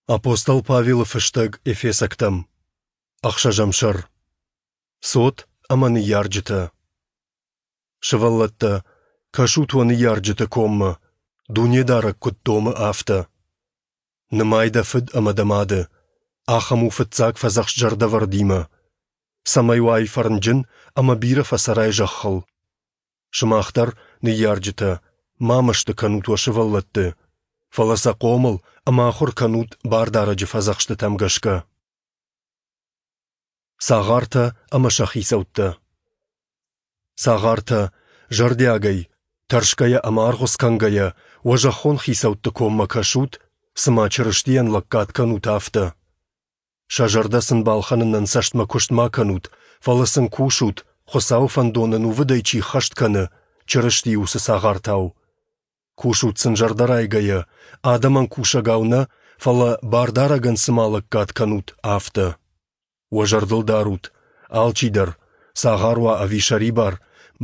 Апостол Павелы фыстӕг Эфесӕгтӕм. Ӕхсӕзӕм сӕр. Цот ӕмӕ ныййарджытӕ. Сывӕллӕттӕ, кӕсут уӕ ныййарджыты коммӕ, Дунедарӕг куыд домы, афтӕ. Нымай дӕ фыд ӕмӕ дӕ мады. Ахӕм у фыццаг фӕдзӕхст зӕрдӕвӕрдимӕ. Цӕмӕй уай фӕрнджын ӕмӕ бирӕ фӕцӕрай зӕххыл. Сымах дӕр, ныййарджытӕ, ма мӕсты кӕнут уӕ сывӕллӕтты, фӕлӕ сӕ хъомыл ӕмӕ ахуыр кӕнут Бардарӕджы фӕдзӕхстытӕм гӕсгӕ. Цагъартӕ ӕмӕ сӕ хицӕуттӕ. Цагъартӕ, зӕрдиагӕй, тӕрсгӕйӕ ӕмӕ аргъуыц кӕнгӕйӕ, уӕ зӕххон хицӕутты коммӕ кӕсут, цыма Чырыстийӕн лӕггад кӕнут, афтӕ. Сӕ зӕрдӕ сын балхӕнынӕн цӕстмӕ куыст ма кӕнут, фӕлӕ сын кусут, Хуыцауы фӕндон ӕнувыдӕй чи ххӕст кӕны, Чырыстийы уыцы цагъартау. Кусут сын зӕрдӕрайгӕйӕ, адӕмӕн кусӕгау нӕ, фӕлӕ Бардарӕгӕн цыма лӕггад кӕнут, афтӕ. Уӕ зӕрдыл дарут, алчидӕр, цагъар уа ӕви сӕрибар,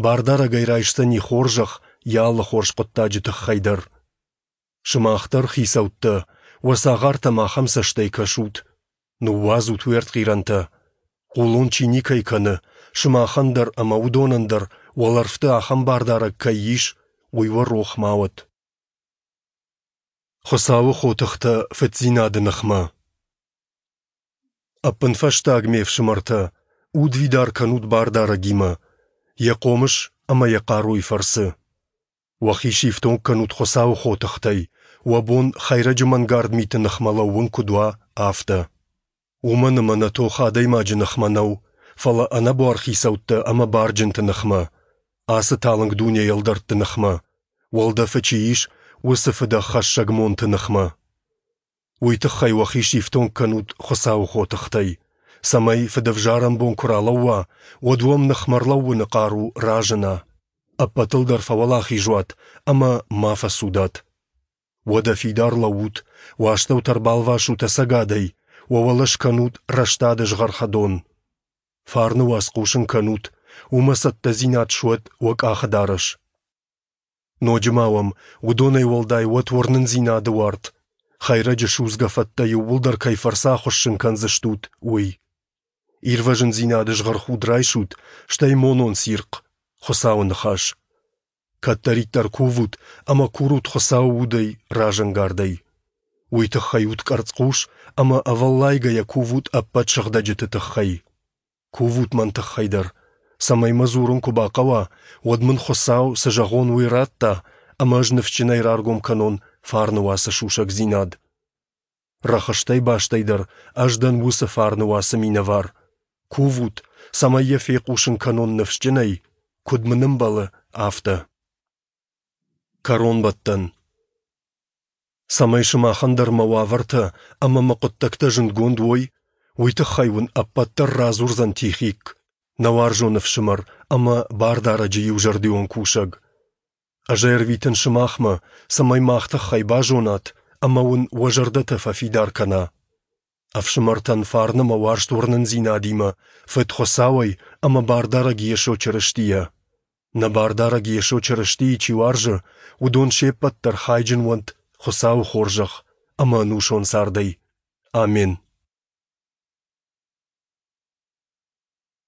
Бардарӕгӕй райсдзӕни хорзӕх йӕ алы хорз хъуыддаджы тыххӕй дӕр. Сымах дӕр, хицӕуттӕ, уӕ цагъартӕм ахӕм цӕстӕй кӕсут. Ныууадзут уе ртхъирӕнтӕ. Хъулон чи никӕй кӕны, сымахӕн дӕр ӕмӕ уыдонӕн дӕр уӕлӕрвты ахӕм бардарӕг кӕй ис, уый уӕ рох ма уӕд. Хуыцауы хотыхтӕ фыддзинады ныхмӕ. Ӕппынфӕстаг, ме фсымӕртӕ, удвидар кӕнут Бардарӕгимӕ, Йӕ хъомыс ӕмӕ Йӕ хъаруйы фӕрцы. Уӕхи сифтонг кӕнут Хуыцауы хотыхтӕй, уӕ бон хӕйрӕджы мӕнгард миты ныхмӕ лӕууын куыд уа, афтӕ. Уымӕн ӕмӕ нӕ тох адӕймаджы ныхмӕ нӕу, фӕлӕ ӕнӕбуар хицӕуттӕ ӕмӕ барджынты ныхмӕ, ацы талынг дунейы ӕлдӕртты ныхмӕ, уӕлдӕфы чи ис, уыцы фыдӕххӕссӕг монты ныхмӕ. Уый тыххӕй уӕхи сифтонг кӕнут Хуыцауы хотыхтӕй, цӕмӕй фыдӕвзарӕн бон куы ралӕууа, уӕд уӕм ныхмӕ ӕрлӕууыны хъару разына. Ӕппӕтыл дӕр фӕуӕлахиз уат ӕмӕ ма фӕцудат. Уӕдӕ фидар лӕуут, уӕ астӕутӕ ӕрбалвасут ӕцӕгадӕй, уӕ уӕлӕ скӕнут рӕстады згъӕрхӕдон. Фарны уац хъусын кӕнут, уымӕ цӕттӕдзинад суӕд уӕ къахыдарӕс. Ноджы ма уӕм уыдонӕй уӕлдай уӕд уырнындзинады уарт, хӕйрӕджы судзгӕ фӕттӕ иууылдӕр кӕй фӕрцы ахуыссын кӕндзыстут, уый. Ирвӕзындзинады згъӕрхуд райсут, стӕй монон цирхъ, Хуыцауы ныхас. Кӕддӕриддӕр кувут ӕмӕ курут Хуыцауы удӕй разӕнгардӕй. Уый тыххӕй ут къӕрцхъус ӕмӕ ӕвӕллайгӕйӕ кувут ӕппӕт сыгъдӕджыты тыххӕй. Кувут мӕн тыххӕй дӕр, цӕмӕй мӕ дзурын куы бахъӕуа, уӕд мын Хуыцау, цы зӕгъон, уый радта, ӕмӕ ӕз ныфсджынӕй раргом кӕнон фарны уацы сусӕгдзинад. Рӕхыстӕй бастӕй дӕр ӕз дӕн уыцы фарны уацы минӕвар. Кувут, цӕмӕй йӕ фехъусын кӕнон ныфсджынӕй, куыд мын ӕмбӕлы, афтӕ. Кӕронбӕттӕн. Цӕмӕй сымахӕн дӕр мӕ уавӕртӕ ӕмӕ мӕ хъуыддӕгтӕ зындгонд уой, уый тыххӕй уын ӕппӕт дӕр радзурдзӕн Тихик, нӕ уарзон ӕфсымӕр ӕмӕ Бардарӕджы иузӕрдион кусӕг. Ӕз ӕй ӕрвитын сымахмӕ, цӕмӕй мах тыххӕй базонат ӕмӕ уын уӕ зӕрдӕтӕ фӕфидар кӕна. Ӕфсымӕртӕн фарн ӕмӕ уарзт уырнындзинадимӕ, Фыд Хуыцауӕй ӕмӕ Бардарӕг Йесо Чырыстийӕ. Нӕ Бардарӕг Йесо Чырыстийы чи уарзы, уыдон се ппӕт дӕр хайджын уӕнт Хуыцауы хорзӕх ӕмӕ ӕнусон цардӕй. Амен.